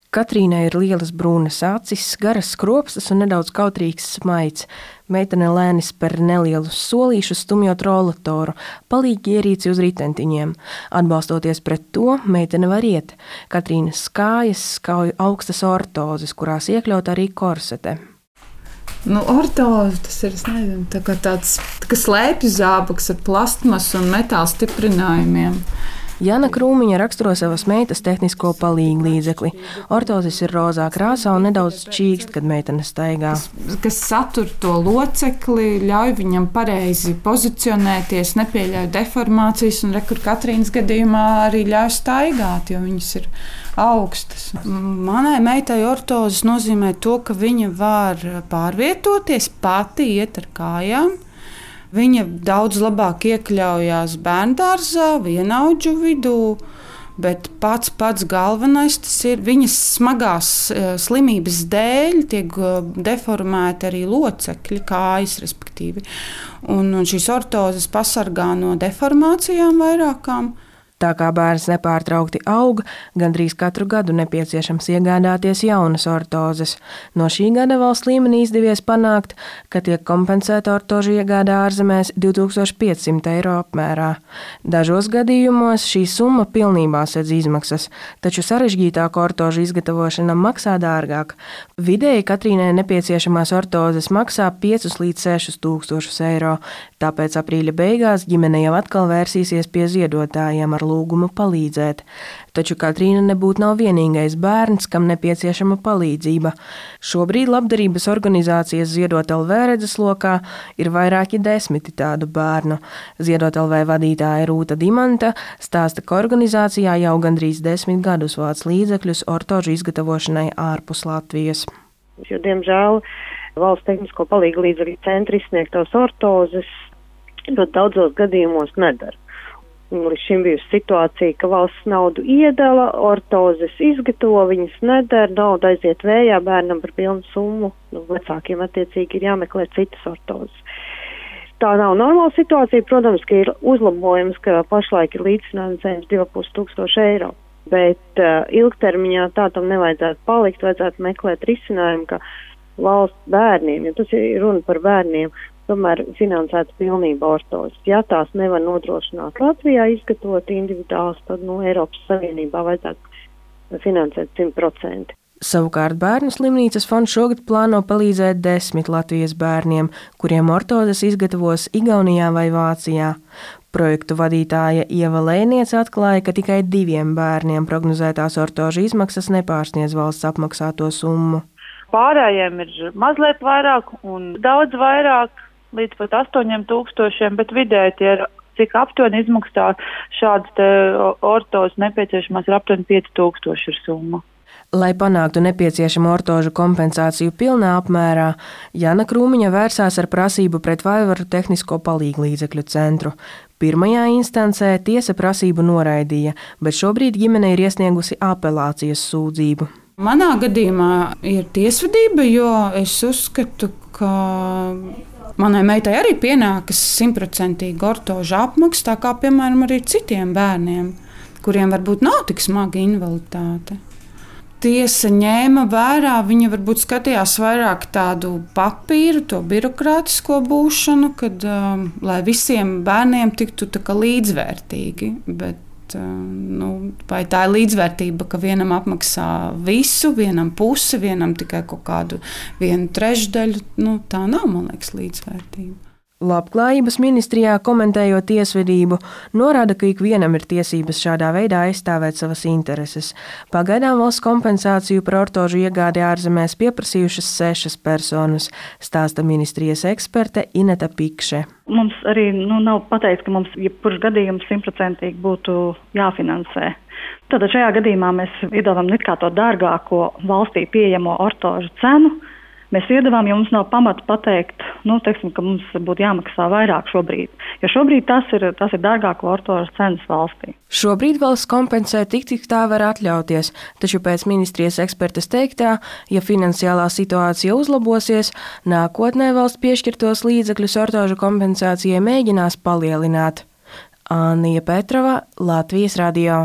Katrīnai ir lielas brūnas acis, garas skropstas un nedaudz kautrīgs smaids. Meitene lēni spēr nelielus solīšus, stumjot rolatoru, palīgi ierīci uz ritentiņiem. Atbalstoties pret to, meitene var iet. Katrīnas kājas skauj augstas ortozes, kurās iekļaut arī korsete. Ortoze tas ir, tāds slēpju zābaks ar plastmasu un metāla stiprinājumiem. Jana Krūmiņa raksturo savas meitas tehnisko palīgu līdzekli. Ortozes ir rozā krāsā un nedaudz čīkst, kad meitene staigā. Kas satur to locekli, ļauj viņam pareizi pozicionēties, nepieļauj deformācijas, un kur Katrīnas gadījumā arī ļauj staigāt, jo viņas ir augstas. Manai meitai ortozes nozīmē to, ka viņa var pārvietoties, pati iet ar kājām. Viņa daudz labāk iekļaujās bērndārzā, vienaudžu vidū, bet pats galvenais tas ir viņas smagās slimības dēļ tiek deformēti arī locekļi, kājas respektīvi. Un šīs ortozes pasargā no deformācijām vairākām. Tā kā bērns nepārtraukti aug, gandrīz katru gadu nepieciešams iegādāties jaunas ortozes. No šī gada valsts līmenī izdevies panākt, ka tiek kompensēta ortožu iegāde ārzemēs 2500 eiro apmērā. Dažos gadījumos šī summa pilnībā sedz izmaksas, taču sarežģītāku ortožu izgatavošana maksā dārgāk. Vidēji Katrīnai nepieciešamās ortozes maksā 5 līdz 6 tūkstošus eiro, tāpēc aprīļa beigās ģimene jau atkal vērsīsies pie ziedotājiem ar lūgumu palīdzēt. Taču Katrīna nebūtu nav vienīgais bērns, kam nepieciešama palīdzība. Šobrīd labdarības organizācijas Ziedot LV redzeslokā ir vairāki 10 tādu bērnu. Ziedot LV vadītāja Rūta Dimanta stāsta, ka organizācijā jau gandrīz 10 gadus vāc līdzekļus ortožu izgatavošanai ārpus Latvijas. Jo, diemžēl, valsts tehnisko palīgu līdzekļu centri izsniegtos ortozes ļoti daudzos gadījumos nedara. Līdz šim bijusi situācija, ka valsts naudu iedala, ortozes izgatavo, viņas nedara, nauda aiziet vējā, bērnam par pilnu summu, vecākiem attiecīgi ir jāmeklē citas ortozes. Tā nav normāla situācija, protams, ka ir uzlabojums, ka pašlaik ir līdzfinansējums 2500 eiro, bet ilgtermiņā tā tam nevajadzētu palikt, vajadzētu meklēt risinājumu, ka valsts bērniem, jo tas ir runa par bērniem, tomēr finansēts pilnībā ortozes. Ja tās nevar nodrošināt Latvijā izgatavot individuāls, tad Eiropas Savienībā vajadzētu finansēt 100%. Savukārt Bērnu slimnīcas fonds šogad plāno palīdzēt 10 Latvijas bērniem, kuriem ortozes izgatavos Igaunijā vai Vācijā. Projektu vadītāja Ieva Lēniece atklāja, ka tikai 2 bērniem prognozētās ortožu izmaksas nepārsniedz valsts apmaksāto summu. Pārējiem ir mazliet vairāk un daudz vairāk, līdz pat 8000, bet vidēji tie ir, cik aptuveni izmaksā šādas ortozes nepieciešamās ir aptuveni 5000 ir summa. Lai panāktu nepieciešamo ortožu kompensāciju pilnā apmērā, Jana Krūmiņa vērsās ar prasību pret Vaivaru tehnisko palīgu līdzekļu centru. Pirmajā instancē tiesa prasību noraidīja, bet šobrīd ģimene ir iesniegusi apelācijas sūdzību. Manā gadījumā ir tiesvedība, jo es uzskatu, ka manai meitai arī pienākas 100% ortožu apmaksa, tā kā, piemēram, arī citiem bērniem, kuriem varbūt nav tik smaga invaliditāte. Tiesa ņēma vērā, viņa varbūt skatījās vairāk tādu papīru, to birokrātisko būšanu, kad, lai visiem bērniem tiktu tā kā līdzvērtīgi, bet vai tā ir līdzvērtība, ka vienam apmaksā visu, vienam pusi, vienam tikai kaut kādu 1/3, tā nav, man liekas, līdzvērtība. Labklājības ministrijā komentējot tiesvedību, norāda, ka ikvienam ir tiesības šādā veidā aizstāvēt savas intereses. Pagaidām valsts kompensāciju par ortožu iegādi ārzemēs pieprasījušas 6 personas, stāsta ministrijas eksperte Ineta Pikše. Mums arī nav pateikts, ka mums jebkurš gadījums 100% būtu jāfinansē. Tad šajā gadījumā mēs iedavām it kā to dārgāko valstī pieejamo ortožu cenu. Mēs iedavām, jo mums nav pamata pateikt, ka mums būtu jāmaksā vairāk šobrīd. Jo šobrīd tas ir dārgāko ortožu cenas valstī. Šobrīd valsts kompensē tik tā var atļauties, taču pēc ministrijas ekspertes teiktā, ja finansiālā situācija uzlabosies, nākotnē valsts piešķirtos līdzekļus ortožu kompensācijai mēģinās palielināt. Anija Petrova, Latvijas radio.